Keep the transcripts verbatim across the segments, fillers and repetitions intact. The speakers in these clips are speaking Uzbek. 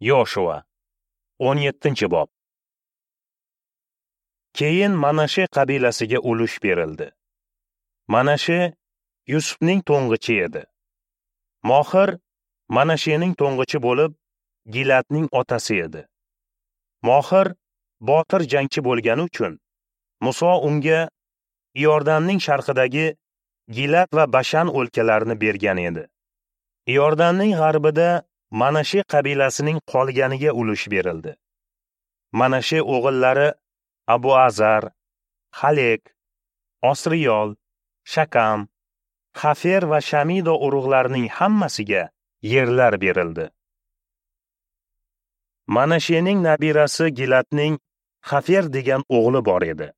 Yoshua o'n yettinchi bob. Keyin Manashe qabilasiga ulush berildi. Manashe Yusufning to'ng'ichi edi. Mohir Manashening to'ng'ichi bo'lib, Gilatning otasi edi. Mohir botir jangchi bo'lgani uchun Muso unga Iordanning sharqidagi Gilat va Bashan o'lkalarini bergan edi. Iordanning g'arbida Manashe qabilasining qolganiga ulush berildi. Manashe o'g'illari Abu Azar, Halek, Osriyol, Shakam, Xafer va Shamido urug'larining hammasiga yerlar berildi. Manashening nabirasi Gilatning Xafer degan o'g'li bor edi.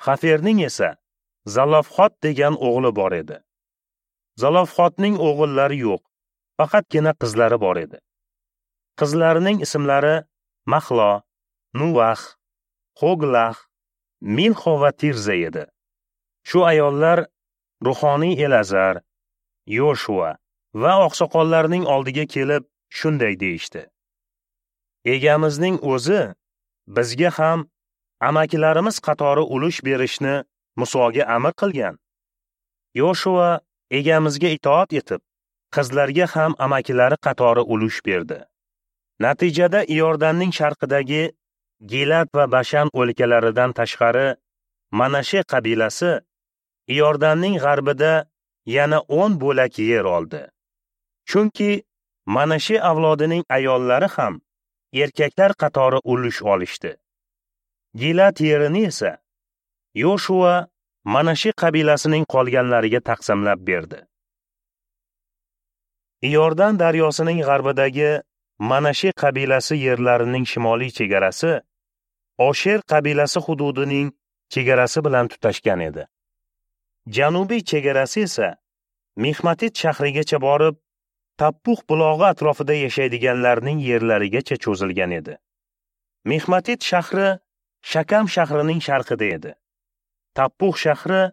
Xaferning esa Zalofxot degan o'g'li bor edi. Zalofxotning o'g'illari yo'q, faqatgina qizlari bor edi. Qizlarining ismlari Mahlo, Nuvax, Hoglah, Milxo va Tirza edi. Shu ayollar ruhoniy Elazar, Yoshua va oqsoqollarning oldiga kelib shunday deyishdi: Egamizning o'zi bizga ham amakilarimiz qatori ulush berishni Musoga amr qilgan. Yoshua egamizga itoat etib, qizlarga ham amakilari qatori ulush berdi. Natijada Iordanning sharqidagi Gilat va Bashan o'lkalaridan tashqari Manashe qabilasi Iordanning g'arbida yana o'n bo'lak yer oldi. Chunki Manashe avlodining ayollari ham erkaklar qatori ulush olishdi. Gilat yerini esa Yoshua Manashe qabilasining qolganlariga taqsimlab berdi. Iordan daryosining g'arbidagi Manashe qabilasi yerlarining shimoliy chegarasi Osher qabilasi hududining chegarasi bilan tutashgan edi. Janubiy chegarasi esa Mixmatit shahrigacha borib, Tappux bulog'i atrofida yashaydiganlarning yerlarigacha cho'zilgan edi. Mixmatit shahri Shakam shahrining sharqida edi. Tappux shahri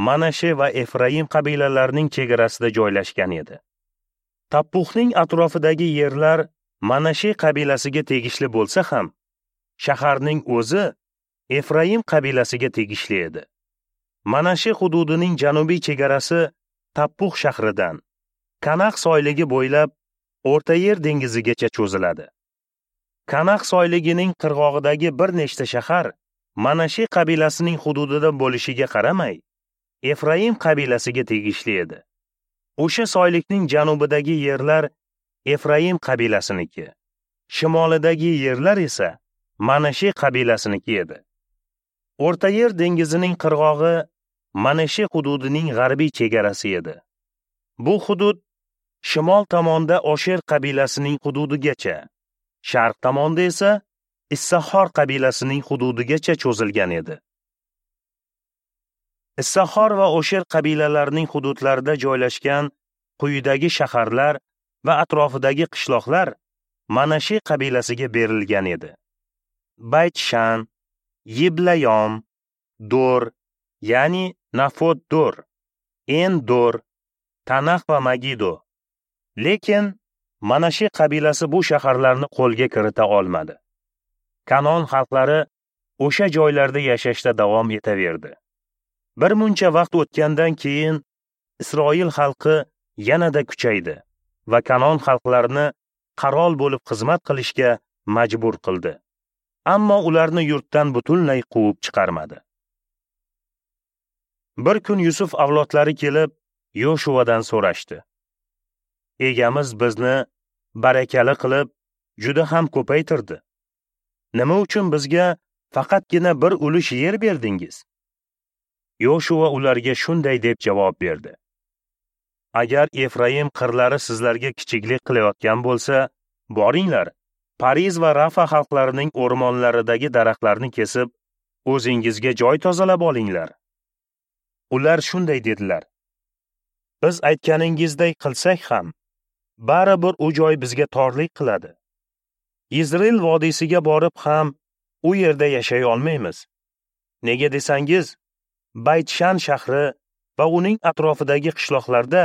Manashe va Efraim qabilalarining chegarasida joylashgan edi. Tappuxning atrofidagi yerlar Manashe qabilasiga tegishli bo'lsa ham, shaharning o'zi Efraim qabilasiga tegishli edi. Manashe hududining janubiy chegarasi Tappux shahridan Kanaq soyligi bo'ylab O'rta Yer dengizigacha cho'ziladi. Kanaq soyligining qirg'og'idagi bir nechta shahar Manashe qabilasining hududida bo'lishiga qaramay, Efraim qabilasiga tegishli edi. O'sha soylikning janubidagi yerlar Efraim qabilasiniki, shimolidagi yerlar esa Manashe qabilasiniki edi. O'rta Yer dengizining qirg'og'i Manashe hududining g'arbiy chegarasi edi. Bu hudud shimol tomonda Osher qabilasining hududigacha, sharq tomonda esa Issahor qabilasining hududigacha cho'zilgan edi. Issahor va Osher qabilalarining hududlarida joylashgan quyidagi shaharlar va atrofidagi qishloqlar Manashe qabilasiga berilgan edi: Baytshan, Yiblayom, Dor, ya'ni Nafot Dor, En-Dor, Tanax va Magido. Lekin Manashe qabilasi bu shaharlarni qo'lga kirita olmadi. Kanon xalqlari o'sha joylarda yashashda davom etaverdi. Bir muncha vaqt o'tgandan keyin Isroil xalqi yanada kuchaydi va Kanon xalqlarini qarol bo'lib xizmat qilishga majbur qildi. Ammo ularni yurtdan butunlay quvib chiqarmadi. Bir kun Yusuf avlodlari kelib Yoshuadan so'rashdi: Egamiz bizni barakali qilib, juda ham ko'paytirdi. Nima uchun bizga faqatgina bir ulush yer berdingiz? Yoshua ularga shunday deb javob berdi: Agar Efraim qirlari sizlarga kichiklik qilayotgan bo'lsa, boringlar, Pariz va Rafa xalqlarining o'rmonlaridagi daraxtlarni kesib, o'zingizga joy tozalab olinglar. Ular shunday dedilar: Biz aytganingizday qilsak ham, baribir u joy bizga torlik qiladi. Izrael vodiysiga borib ham u yerda yashay olmaymiz. Nega desangiz, Baytshan shahri va uning atrofidagi qishloqlarda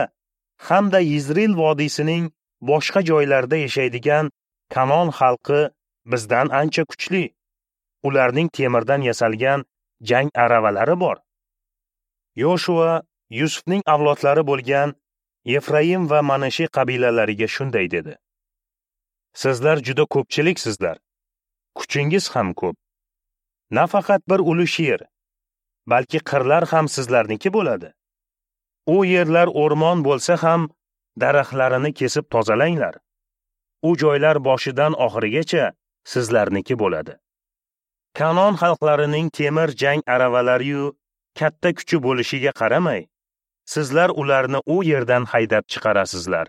hamda Izrael vodiysining boshqa joylarida yashaydigan Kanon xalqi bizdan ancha kuchli. Ularning temirdan yasalgan jang aravalari bor. Yoshua Yusufning avlodlari bo'lgan Efraim va Manashi qabilalariga shunday dedi: Sizlar juda ko'pchiliksizlar. Kuchingiz ham ko'p. Nafaqat bir ulush yer, balki qirlar ham sizlarniki bo'ladi. U yerlar o'rmon bo'lsa ham daraxtlarini kesib tozalanglar. U joylar boshidan oxirigacha sizlarniki bo'ladi. Kanon xalqlarining temir jang aravalari-yu katta kuchi bo'lishiga qaramay, sizlar ularni u yerdan haydab chiqarasizlar.